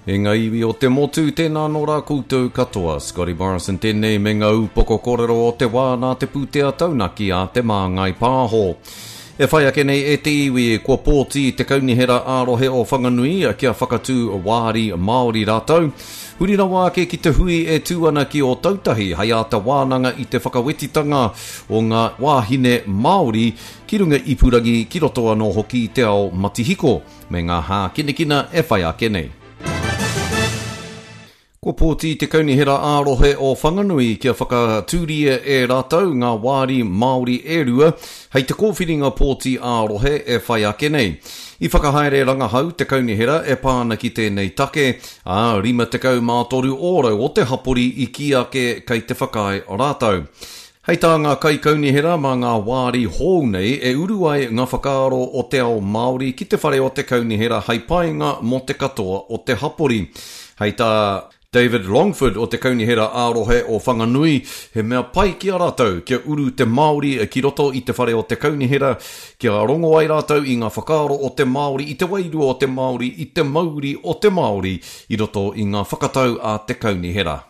E ngā iwi o te motu, tēnā anō rā koutou katoa. Scotty Morrison tēnei me ngā upoko kōrero o te wā nā te pūtea taunaki a Te Māngai Pāho. E whai ake nei e te iwi, kua pōti te Kaunihera ā-rohe o Whanganui kia whakatū wāri Māori rātou. Huri rawa ake ki te hui e tū ana ki Ōtautahi hei āta wānanga i te whakawetitanga o ngā wāhine Māori ki runga ipurangi ki roto anō hoki i te ao matihiko me ngā hākinakina e whai ake nei. Kua pōti te Kaunihera ā-Rohe o Whanganui kia whakatūria e rātou ngā wāri Māori e rua hei te kōwhiringa pōti ā-rohe e whai ake nei. I whakahaere rangahau te Kaunihera e pā ana ki tēnei take, ā, 53 ōrau o te hapori i kī ake kei te whakaae rātou. Hei tā ngā kaikaunihera mā ngā wāri hou nei e uru ai ngā whakaaro o te ao Māori ki te whare o te kaunihera hei painga mō te katoa o te hapori. Hei tā David Longford o te Kaunihera ā-Rohe o Whanganui, he mea pai ki a rātou kia uru te Māori ki roto i te whare o te kaunihera, kia rongo ai rātou i ngā whakaaro o te Māori, i te wairua o te Māori, i te mauri o te Māori i roto i ngā whakatau a te kaunihera.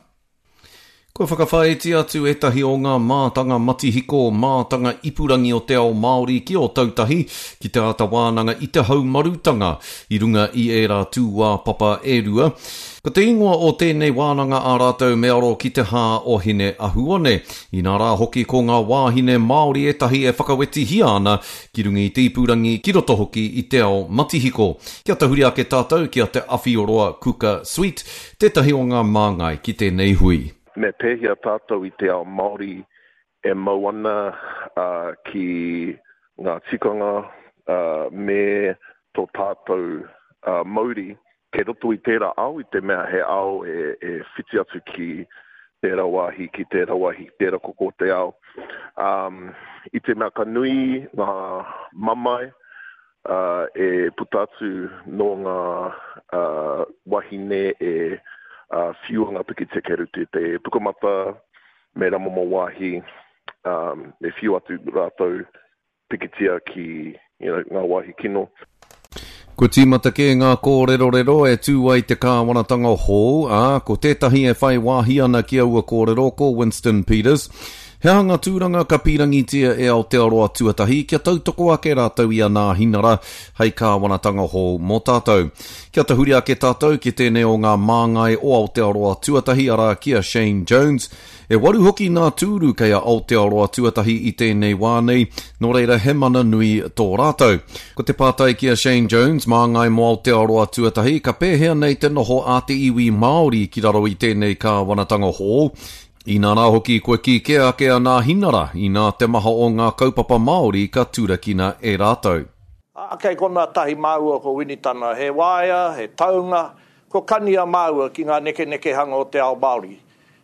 Kua whakawhāiti atu ētahi o ngā mātanga matihiko, mātanga ipurangi o te ao Māori ki Ōtautahi ki te āta wānanga i te haumarutanga i runga i ērā tūāpapa e rua. Ko te ingoa o tēnei wānanga a rātou me aro ki te hā o Hine Ahuone. Inā rā hoki ko ngā wāhine Māori ētahi e whakawetihia ana ki runga i te ipurangi, ki roto hoki i te ao matihiko. Kia tahuri ake tātou ki a Te Awhioroa Kuka Sweet, Tētahi o ngā māngai ki tēnei hui. Me pēhea tātou i te ao Māori e mau ana ki ngā tikanga me tō tātou mauri kei roto i tērā ao i te mea he ao e whiti atu ki tērā wāhi, ki tērā wāhi, ki tērā koko o te ao. I te mea ka nui ngā mamae e puta atu nō ngā wahine e whiua ngā pikitia kei roto i te pukamata me rā momo wāhi e whiu atu rātou pikitia ki you know, ngā wāhi kino. Kua tīmata kē ngā kōrerorero e tū ai te kāwanatanga hou, ā, ko tētahi e whai wāhi ana ki aua kōrero ko Winston Peters. He aha ngā tūranga ka pīrangitia e Aotearoa Tuatahi kia tautoko ake rātou i a Nāhinara hei kāwanatanga hou mō tātou? Kia tahuri ake tātou ki tēnei o ngā māngai o Aotearoa Tuatahi arā ki a Shane Jones. E waru hoki ngā tūru kei a Aotearoa Tuatahi i tēnei wā nei, nō reira he mana nui tō rātou. Ko te pātai ki a Shane Jones, māngai mō Aotearoa Tuatahi, ka pēhea nei te noho a te iwi Māori ki raro i tēnei kāwanatanga hou? Inā rā hoki kua kī kē ake a Nāhinara, inā te maha o ngā kaupapa Māori ka turakina e rātou. Ā, kei konā tahi māua ko Winitana, he waea, he taunga, kua kania māua ki ngā nekenekehanga o te ao Māori.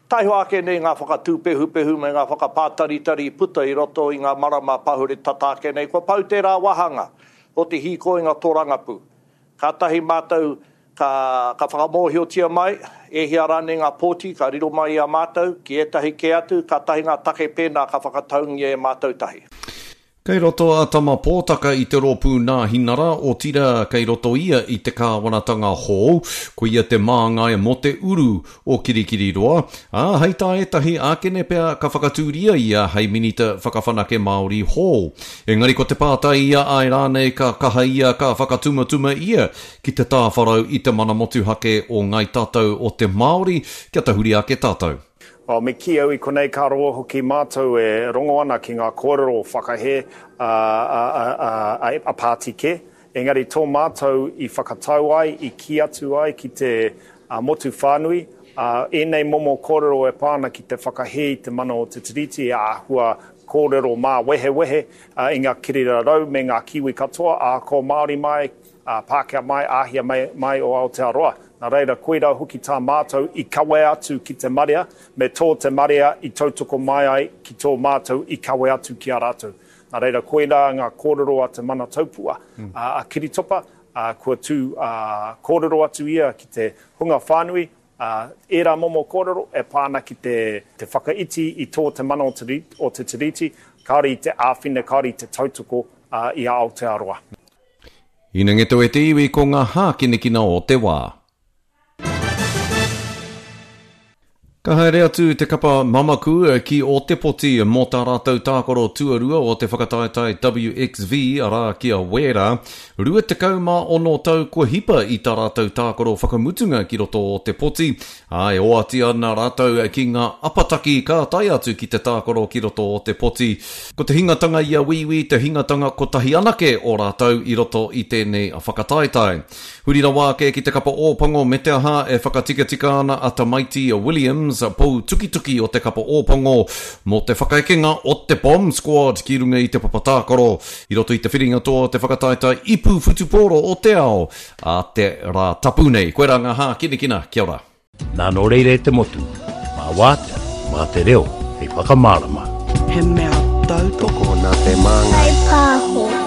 Taihoa ake nei ngā whakatūpehupehu me ngā whakapātaritari i puta i roto i ngā marama pahure tata ake nei, kua pau tērā wāhanga o te hīkoinga tōrangapū. Kātahi mātou Ka, ka whakamōhiotia mai, e hia rānei ngā pōti ka riro mai i a mātou, ki ētahi kē atu, kātahi ngā take pēnā ka whakataungia e mātou tahi. Kei roto a Tama Pōtaka i te rōpū Nāhinara, otirā kei roto ia i te kāwanatanga hou, ko ia te māngai mō te uru o Kirikiriroa, ā, hei tā ētahi, ākene pea ka whakatūria ia hei Minita Whakawhanake Māori hou. Engari ko te pātai ia āe rānei ka kaha ia ka whakatumatuma ia Ki te tāwharau i te mana motuhake o Ngai Tātou o te Māori, kia tahuri ake tātou. Well, me kī au i konei ka roa hoki mātou e rongo ana ki ngā kōrero whakahē a, a, a, a, a, a pāti kē. Engari tō mātou i whakatau ai, i kī atu ai ki te a, motu whānui, a, ēnei momo kōrero e pā ana ki te whakahē i te mana o te Tiriti e āhua kōrero māwehewehe a, i ngā kirirarau me ngā Kiwi katoa, ahakoa Māori mai, ā, Pākehā mai, Āhia mai, mai o Aotearoa. Nā reira, koirā hoki tā mātou i kawe atu ki te marea, me tō te marea i tautoko mai ai ki tō mātou i kawe atu ki a rātou. Nā reira, koirā ngā kōrero a te Mana Taupua, a Kiritopa, ā, kua tū, ā, kōrero atu ia ki te hunga whānui, ā, ērā momo kōrero e pā ana ki te, te whakaiti i tō te mana o te, o te Tiriti, kāore i te āwhina, kāore i te tautoko, ā, i a Aotearoa. Hinangeto e te iwi ko ngā hākinakina o te wā. Ka haere atu te kapa Mamaku ki Ōtepoti mō tā rātou tākaro tuarua o te whakataetae WXV, arā, ki a Wēra. 26 tau kua hipa i tā rātou tākaro whakamutunga ki roto o Ōtepoti, ā, e oati ana rātou ki ngā apataki ka tae atu ki te tākaro ki roto o Ōtepoti. Ko te hingatanga i a Wīwī te hingatanga kotahi anake o rātou i roto i tēnei whakataetae. Huri rawa ake ki te kapa Ōpango me te aha e whakatikatika ana a Tamaiti Williams, pou tukituki o te kapa Ōpango, mō te whakaekenga o te Bomb Squad ki runga i te papa tākaro i roto i te whiringa toa o te whakataetae ipu whutupōro o te ao ā te Rātapu nei. Koirā ngā hākinakina. Kia ora. Nā nō reira e te motu, mā wātea, mā te reo hei whakamārama. He mea tautoko. Tokona te māngai. Whai pāho.